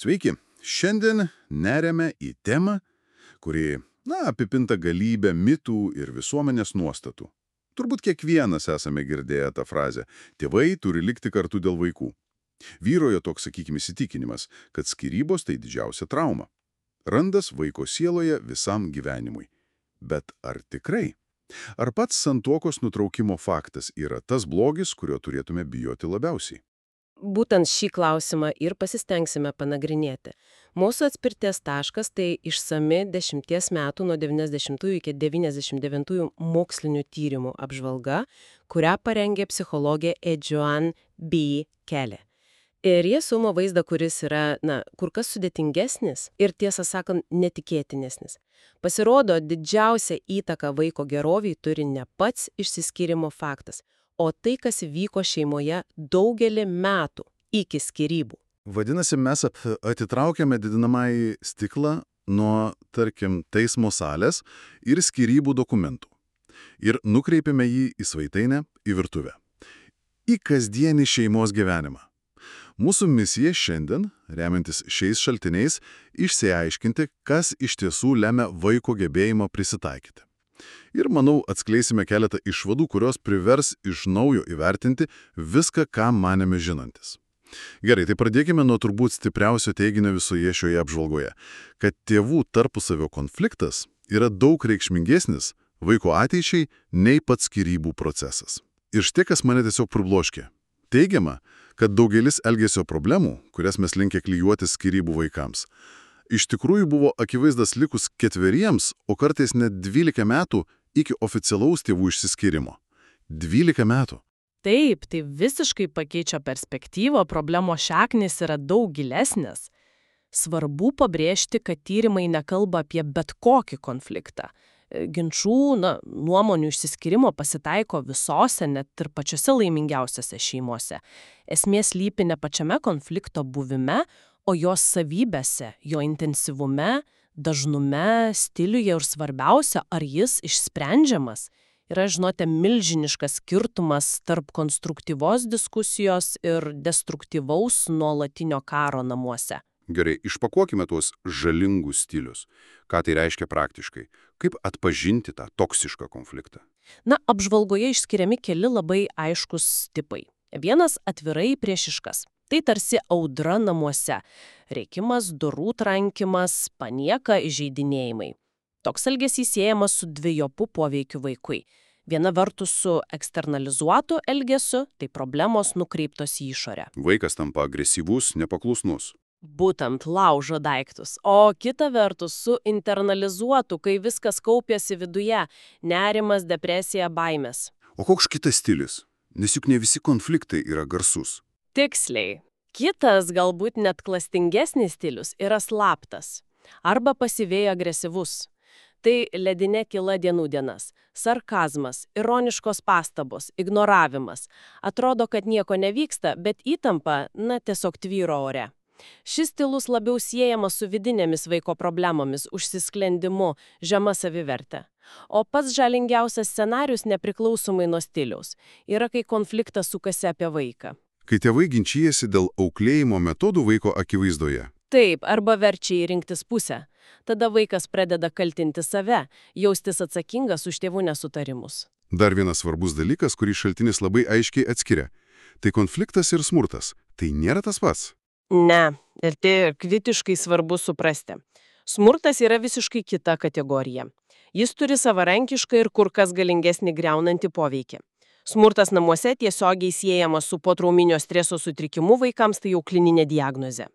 Sveiki, šiandien neriame į temą, kuri, apipinta galybę mitų ir visuomenės nuostatų. Turbūt kiekvienas esame girdėję tą frazę «tėvai turi likti kartu dėl vaikų». Vyrojo toks, sakykime, įsitikinimas, kad skyrybos tai didžiausia trauma. Randas vaiko sieloje visam gyvenimui. Bet ar tikrai? Ar pats santuokos nutraukimo faktas yra tas blogis, kurio turėtume bijoti labiausiai? Būtent šį klausimą ir pasistengsime panagrinėti. Mūsų atspirties taškas tai išsami 10 metų nuo 90 iki 99 mokslinių tyrimų apžvalga, kurią parengė psichologė Joan B. Kelly. Ir jie sumo vaizdą, kuris yra, kur kas sudėtingesnis ir, tiesą sakant, netikėtinesnis. Pasirodo, didžiausią įtaką vaiko geroviai turi ne pats išsiskyrimo faktas, o tai, kas vyko šeimoje daugelį metų iki skyrybų. Vadinasi, mes atitraukiame didinamąjį stiklą nuo, tarkim, teismo salės ir skyrybų dokumentų ir nukreipiame jį į svetainę, į virtuvę, į kasdienį šeimos gyvenimą. Mūsų misija šiandien, remiantis šiais šaltiniais, išsiaiškinti, kas iš tiesų lemia vaiko gebėjimą prisitaikyti. Ir, manau, atskleisime keletą išvadų, kurios privers iš naujo įvertinti viską, ką manėme žinantis. Gerai, tai pradėkime nuo turbūt stipriausio teiginio visoje šioje apžvalgoje, kad tėvų tarpusavio konfliktas yra daug reikšmingesnis vaiko ateičiai nei pats skyrybų procesas. Ir štai kas mane tiesiog pribloškė. Teigiama, kad daugelis elgesio problemų, kurias mes linkę klijuoti skyrybų vaikams, iš tikrųjų buvo akivaizdas likus 4, o kartais net 12 metų iki oficialaus tėvų išsiskyrimo. 12 metų. Taip, tai visiškai pakeičia perspektyvą, problemos šaknys yra daug gilesnės. Svarbu pabrėžti, kad tyrimai nekalba apie bet kokį konfliktą. Ginčų, nuomonių išsiskyrimo pasitaiko visose, net ir pačiose laimingiausiose šeimose. Esmė slypi ne pačiame konflikto buvime, o jos savybėse, jo intensyvume, dažnume, stiliuje ir svarbiausia, ar jis išsprendžiamas. Yra, žinote, milžiniškas skirtumas tarp konstruktyvos diskusijos ir destruktyvaus nuolatinio karo namuose. Gerai, išpakuokime tuos žalingus stilius. Ką tai reiškia praktiškai? Kaip atpažinti tą toksišką konfliktą? Apžvalgoje išskiriami keli labai aiškus tipai. Vienas atvirai priešiškas. Tai tarsi audra namuose. Rėkimas, durų trankimas, panieka, įžeidinėjimai. Toks elgesys siejamas su dvejopu poveikiu vaikui. Viena vertus su eksternalizuotu elgesiu, tai problemos nukreiptos į išorę. Vaikas tampa agresyvus, nepaklusnus. Būtent laužo daiktus. O kita vertus su internalizuotu, kai viskas kaupiasi viduje, nerimas, depresija, baimės. O koks kitas stilius? Nes juk ne visi konfliktai yra garsus. Tiksliai. Kitas, galbūt net klastingesnis stilius yra slaptas arba pasyviai agresyvus. Tai ledinė kyla dienų dienas, sarkazmas, ironiškos pastabos, ignoravimas. Atrodo, kad nieko nevyksta, bet įtampa, tiesiog tvyro ore. Šis stilus labiau siejamas su vidinėmis vaiko problemomis, užsisklendimu, žema savivertė. O pats žalingiausias scenarius nepriklausomai nuo stiliaus yra, kai konfliktas sukasi apie vaiką. Kai tėvai ginčijasi dėl auklėjimo metodų vaiko akivaizdoje. Taip, arba verčia į rinktis pusę. Tada vaikas pradeda kaltinti save, jaustis atsakingas už tėvų nesutarimus. Dar vienas svarbus dalykas, kurį šaltinis labai aiškiai atskiria. Tai konfliktas ir smurtas. Tai nėra tas pats. Ne, ir tai kritiškai svarbu suprasti. Smurtas yra visiškai kita kategorija. Jis turi savarankišką ir kur kas galingesnį griaunantį poveikį. Smurtas namuose tiesiogiai siejamas su potrauminio streso sutrikimu vaikams, tai jau klininė diagnozė.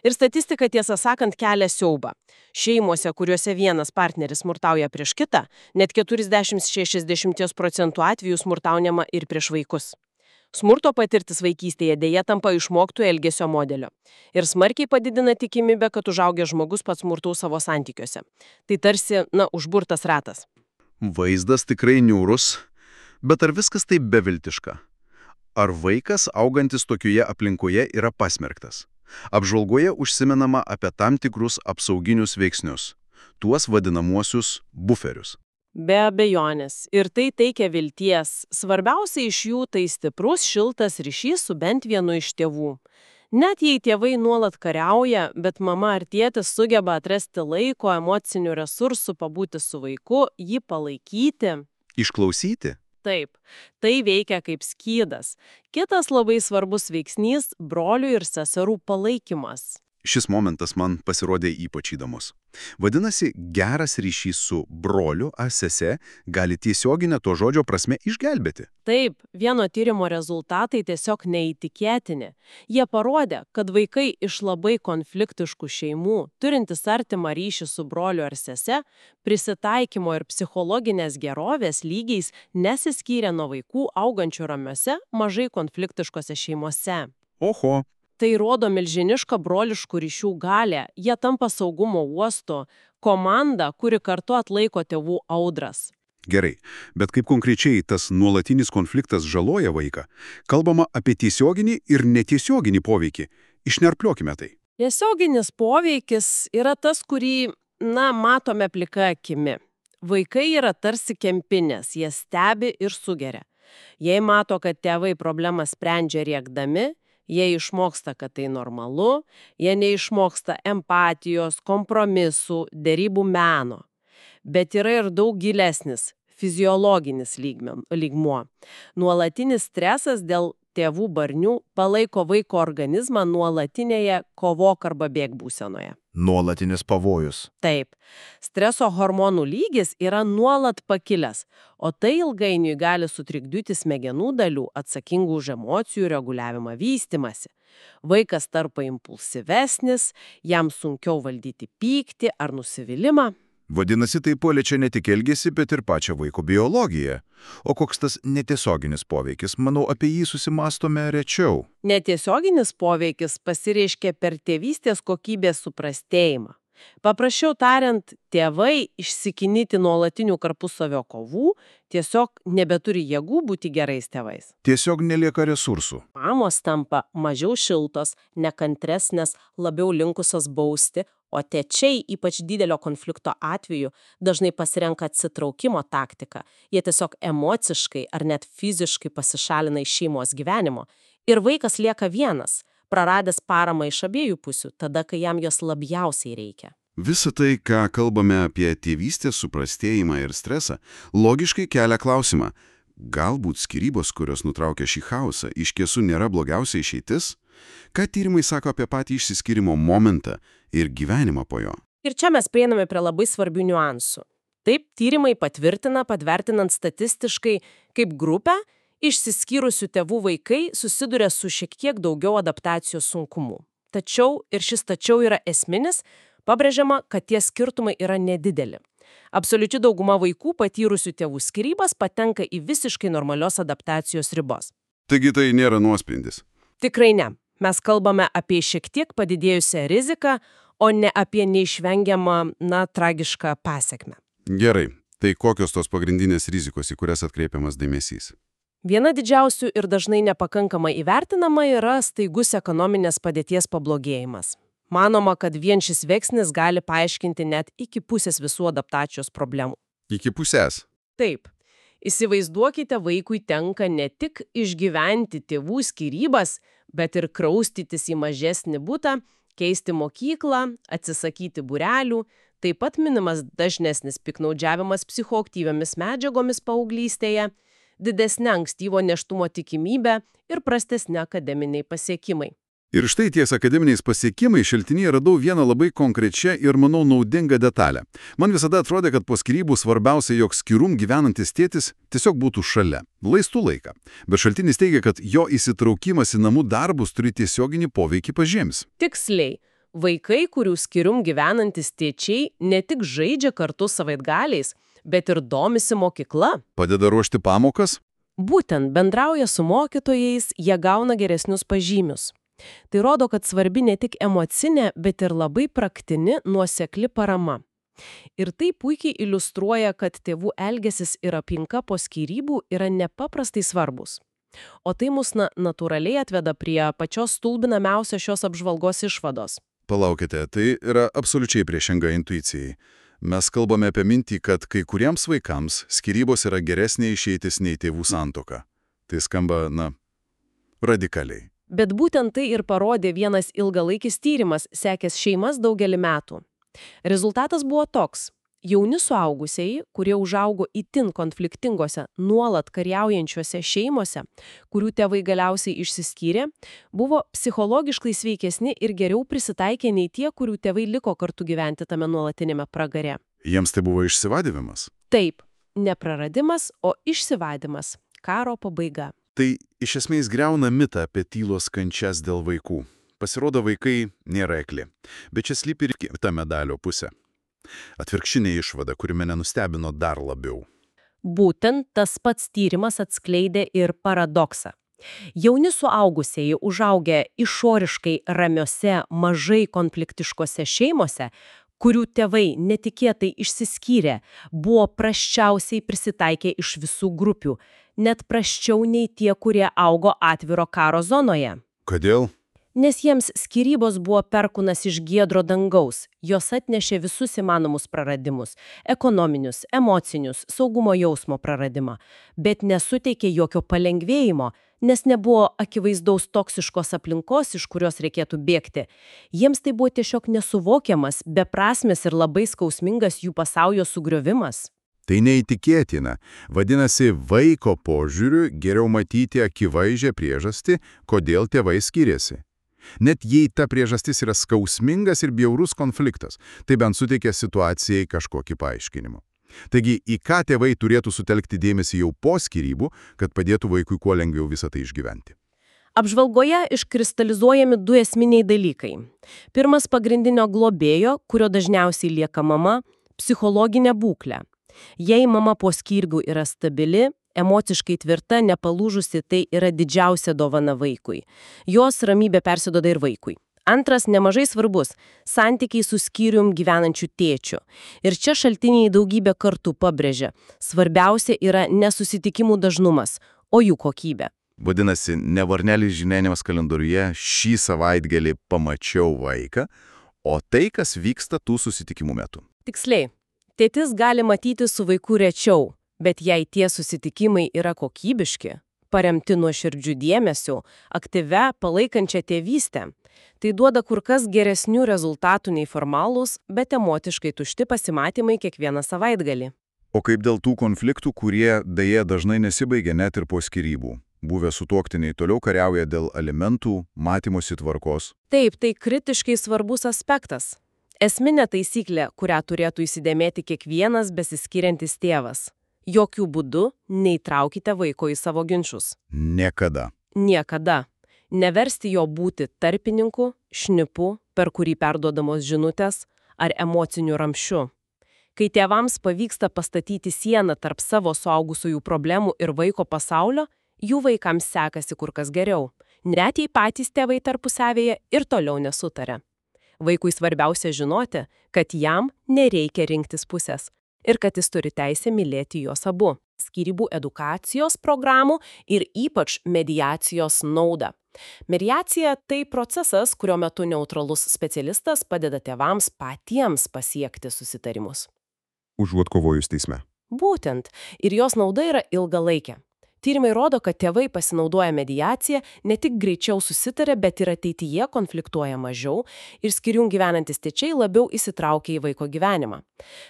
Ir statistika, tiesą sakant, kelia siaubą. Šeimose, kuriuose vienas partneris smurtauja prieš kitą, net 40–60% atvejų smurtaujama ir prieš vaikus. Smurto patirtis vaikystėje dėja tampa išmoktų elgesio modelio. Ir smarkiai padidina tikimybę, kad užaugęs žmogus pats smurtaus savo santykiuose. Tai tarsi, užburtas ratas. Vaizdas tikrai niūrus, bet ar viskas taip beviltiška? Ar vaikas, augantis tokioje aplinkoje, yra pasmerktas? Apžvalgoje užsimenama apie tam tikrus apsauginius veiksnius, tuos vadinamuosius buferius. Be abejonės. Ir tai teikia vilties. Svarbiausia iš jų tai stiprus, šiltas ryšys su bent vienu iš tėvų. Net jei tėvai nuolat kariauja, bet mama ar tėtis sugeba atrasti laiko, emocinių resursų, pabūti su vaiku, jį palaikyti. Išklausyti? Taip, tai veikia kaip skydas. Kitas labai svarbus veiksnys – brolių ir seserų palaikymas. Šis momentas man pasirodė ypač įdomus. Vadinasi, geras ryšys su broliu ar sese gali tiesioginę to žodžio prasme išgelbėti. Taip, vieno tyrimo rezultatai tiesiog neįtikėtini. Jie parodė, kad vaikai iš labai konfliktiškų šeimų, turintis artimą ryšį su broliu ar sese, prisitaikymo ir psichologinės gerovės lygiais nesiskyrė nuo vaikų augančių ramiose, mažai konfliktiškose šeimose. Oho. Tai rodo milžinišką broliškų ryšių galę, jie tampa saugumo uostu, komanda, kuri kartu atlaiko tėvų audras. Gerai, bet kaip konkrečiai tas nuolatinis konfliktas žaloja vaiką? Kalbama apie tiesioginį ir netiesioginį poveikį. Išnerpliokime tai. Tiesioginis poveikis yra tas, kurį, matome plika akimi. Vaikai yra tarsi kempinės, jie stebi ir sugeria. Jei mato, kad tėvai problemą sprendžia rėkdami, jie išmoksta, kad tai normalu, jie neišmoksta empatijos, kompromisų, derybų meno. Bet yra ir daug gilesnis, fiziologinis lygmuo. Nuolatinis stresas dėl tėvų barnių palaiko vaiko organizmą nuolatinėje kovok arba bėk būsenoje. Nuolatinis pavojus. Taip. Streso hormonų lygis yra nuolat pakilęs, o tai ilgainiui gali sutrikdyti smegenų dalių atsakingų už emocijų reguliavimą vystymąsi. Vaikas tarpa impulsyvesnis, jam sunkiau valdyti pyktį ar nusivylimą. Vadinasi, tai paliečia ne tik elgesį, bet ir pačią vaiko biologiją. O koks tas netiesioginis poveikis? Manau, apie jį susimastome rečiau. Netiesioginis poveikis pasireiškia per tėvystės kokybės suprastėjimą. Paprasčiau tariant, tėvai išsikinyti nuolatinių tarpusavio kovų tiesiog nebeturi jėgų būti gerais tėvais. Tiesiog nelieka resursų. Mamos tampa mažiau šiltos, nekantresnės, labiau linkusios bausti, o tėčiai, ypač didelio konflikto atveju, dažnai pasirenka atsitraukimo taktiką. Jie tiesiog emociškai ar net fiziškai pasišalina iš šeimos gyvenimo. Ir vaikas lieka vienas, praradęs paramą iš abiejų pusių, tada, kai jam jos labiausiai reikia. Visa tai, ką kalbame apie tėvystės suprastėjimą ir stresą, logiškai kelia klausimą. Galbūt skyrybos, kurios nutraukia šį chaosą, iš tiesų nėra blogiausia išeitis? Ką tyrimai sako apie patį išsiskyrimo momentą ir gyvenimą po jo? Ir čia mes prieiname prie labai svarbių niuansų. Taip, tyrimai patvirtina, patvertinant statistiškai, kaip grupę, išsiskyrusių tėvų vaikai susiduria su šiek tiek daugiau adaptacijos sunkumų. Tačiau, ir šis tačiau yra esminis, pabrėžiama, kad tie skirtumai yra nedideli. Absoliuti dauguma vaikų patyrusių tėvų skyrybas patenka į visiškai normalios adaptacijos ribos. Taigi tai nėra nuosprendis. Tikrai ne. Mes kalbame apie šiek tiek padidėjusią riziką, o ne apie neišvengiamą, tragišką pasekmę. Gerai. Tai kokios tos pagrindinės rizikos, į kurias atkreipiamas dėmesys? Viena didžiausių ir dažnai nepakankamai įvertinama yra staigus ekonominės padėties pablogėjimas. Manoma, kad vien šis veiksnis gali paaiškinti net iki pusės visų adaptacijos problemų. Iki pusės? Taip. Įsivaizduokite, vaikui tenka ne tik išgyventi tėvų skyrybas, bet ir kraustytis į mažesnį butą, keisti mokyklą, atsisakyti būrelių, taip pat minimas dažnesnis piktnaudžiavimas psichoaktyviomis medžiagomis paauglystėje, didesnė ankstyvo nėštumo tikimybė ir prastesni akademiniai pasiekimai. Ir štai ties akademiniais pasiekimais šaltinyje radau vieną labai konkrečią ir, manau, naudingą detalę. Man visada atrodė, kad po skyrybų svarbiausia, jog skyrum gyvenantis tėtis tiesiog būtų šalia, laistų laiką. Bet šaltinis teigia, kad jo įsitraukimas į namų darbus turi tiesioginį poveikį pažiems. Tiksliai. Vaikai, kurių skyrum gyvenantis tėčiai, ne tik žaidžia kartu savaitgaliais, bet ir domisi mokykla. Padeda ruošti pamokas? Būtent bendrauja su mokytojais, jie gauna geresnius pažymius. Tai rodo, kad svarbi ne tik emocinė, bet ir labai praktini, nuosekli parama. Ir tai puikiai iliustruoja, kad tėvų elgesis ir aplinka po skyrybų yra nepaprastai svarbus. O tai mus natūraliai atveda prie pačios stulbinamiausios šios apžvalgos išvados. Palaukite, tai yra absoliučiai priešinga intuicijai. Mes kalbame apie mintį, kad kai kuriems vaikams skyrybos yra geresnė išeitis nei tėvų santuoka. Tai skamba, radikaliai. Bet būtent tai ir parodė vienas ilgalaikis tyrimas, sekęs šeimas daugelį metų. Rezultatas buvo toks. Jauni suaugusieji, kurie užaugo itin konfliktingose, nuolat kariaujančiose šeimose, kurių tėvai galiausiai išsiskyrė, buvo psichologiškai sveikesni ir geriau prisitaikė nei tie, kurių tėvai liko kartu gyventi tame nuolatinėme pragare. Jiems tai buvo išsivadymas? Taip, ne praradimas, o išsivadymas. Karo pabaiga. Tai iš esmės griauna mitą apie tylos kančias dėl vaikų. Pasirodo, vaikai nėra ekli. Bet čia slypi ir kita medalio pusė. Atvirkštinė išvada, kuri mane nustebino dar labiau. Būtent tas pats tyrimas atskleidė ir paradoksą. Jauni suaugusieji užaugę išoriškai ramiose, mažai konfliktiškose šeimose, kurių tėvai netikėtai išsiskyrė, buvo prasčiausiai prisitaikę iš visų grupių, net prasčiau nei tie, kurie augo atviro karo zonoje. Kodėl? Nes jiems skyrybos buvo perkūnas iš giedro dangaus, jos atnešė visus įmanomus praradimus – ekonominius, emocinius, saugumo jausmo praradimą, bet nesuteikė jokio palengvėjimo, nes nebuvo akivaizdaus toksiškos aplinkos, iš kurios reikėtų bėgti. Jiems tai buvo tiesiog nesuvokiamas, beprasmis ir labai skausmingas jų pasaulio sugriovimas. Tai neįtikėtina. Vadinasi, vaiko požiūriu geriau matyti akivaizdžią priežastį, kodėl tėvai skiriasi. Net jei ta priežastis yra skausmingas ir bjaurus konfliktas, tai bent suteikia situacijai kažkokį paaiškinimą. Taigi, į ką tėvai turėtų sutelkti dėmesį jau po skyrybų, kad padėtų vaikui kuo lengviau visą tai išgyventi? Apžvalgoje iškristalizuojami du esminiai dalykai. Pirmas pagrindinio globėjo, kurio dažniausiai lieka mama, psichologinė būklė. Jei mama po skyrybų yra stabili, emociškai tvirta, nepalūžusi, tai yra didžiausia dovana vaikui. Jos ramybė persiduoda ir vaikui. Antras, nemažai svarbus – santykiai su skyrium gyvenančiu tėčiu. Ir čia šaltiniai daugybę kartų pabrėžia. Svarbiausia yra nesusitikimų dažnumas, o jų kokybė. Vadinasi, ne varnelis žinenimas kalendoriuje šį savaitgalį pamačiau vaiką, o tai, kas vyksta tų susitikimų metu. Tiksliai, tėtis gali matyti su vaiku rečiau, bet jei tie susitikimai yra kokybiški, paremti nuoširdžiu dėmesiu, aktyvia, palaikančia tėvystę, tai duoda kur kas geresnių rezultatų nei formalūs, bet emociškai tušti pasimatymai kiekvieną savaitgalį. O kaip dėl tų konfliktų, kurie deja dažnai nesibaigia net ir po skyrybų? Buvę sutuoktiniai toliau kariauja dėl alimentų, matymosi tvarkos. Taip, tai kritiškai svarbus aspektas. Esminė taisyklė, kurią turėtų įsidėmėti kiekvienas besiskiriantis tėvas. Jokių būdų neįtraukite vaiko į savo ginčius. Niekada. Niekada. Neversti jo būti tarpininku, šnipu, per kurį perduodamos žinutės, ar emociniu ramščiu. Kai tėvams pavyksta pastatyti sieną tarp savo suaugusiųjų problemų ir vaiko pasaulio, jų vaikams sekasi kur kas geriau. Net jei patys tėvai tarpusavėje ir toliau nesutaria. Vaikui svarbiausia žinoti, kad jam nereikia rinktis pusės ir kad jis turi teisę mylėti juos abu. Skyrybų edukacijos programų ir ypač mediacijos naudą. Mediacija – tai procesas, kurio metu neutralus specialistas padeda tėvams patiems pasiekti susitarimus. Užuot kovojus teisme. Būtent. Ir jos nauda yra ilgalaikė. Tyrimai rodo, kad tėvai pasinaudoja mediaciją, ne tik greičiau susitaria, bet ir ateityje konfliktuoja mažiau ir skyrium gyvenantis tėčiai labiau įsitraukia į vaiko gyvenimą.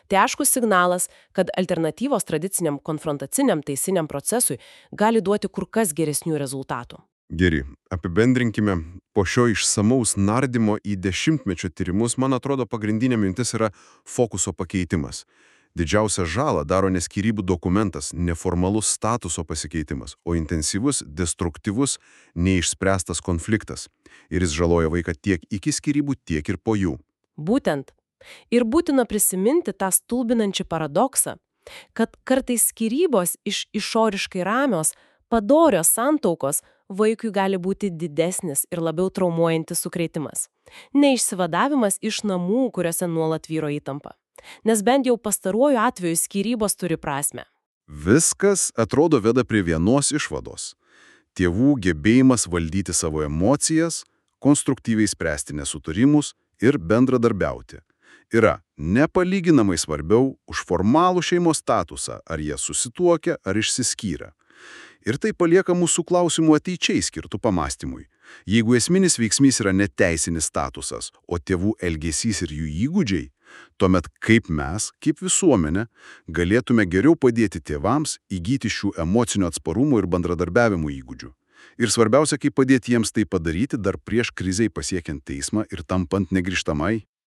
Tai aiškus signalas, kad alternatyvos tradiciniam konfrontaciniam teisiniam procesui gali duoti kur kas geresnių rezultatų. Gerai, apibendrinkime. Po šio išsamaus nardymo į dešimtmečio tyrimus, man atrodo, pagrindinė mintis yra fokuso pakeitimas. Didžiausią žalą daro ne skyrybų dokumentas, neformalus statuso pasikeitimas, o intensyvus, destruktyvus, neišspręstas konfliktas. Ir jis žaloja vaiką tiek iki skyrybų, tiek ir po jų. Būtent. Ir būtina prisiminti tą stulbinančią paradoksą, kad kartais skyrybos iš išoriškai ramios, padorios santaukos vaikui gali būti didesnis ir labiau traumuojantis sukrėtimas. Neišsivadavimas iš namų, kuriuose nuolat vyro įtampa. Nes bent jau pastaruoju atveju skyrybos turi prasmę. Viskas, atrodo, veda prie vienos išvados. Tėvų gebėjimas valdyti savo emocijas, konstruktyviai spręsti nesutarimus ir bendradarbiauti yra nepalyginamai svarbiau už formalų šeimos statusą, ar jie susituokia, ar išsiskyrę. Ir tai palieka mūsų klausimų ateičiai skirtų pamastymui. Jeigu esminis veiksmys yra ne teisinis statusas, o tėvų elgesys ir jų įgūdžiai, tuomet kaip mes, kaip visuomenė, galėtume geriau padėti tėvams įgyti šių emocinio atsparumo ir bendradarbiavimo įgūdžių. Ir svarbiausia, kaip padėti jiems tai padaryti dar prieš krizei pasiekiant teismą ir tampant negrįžtamai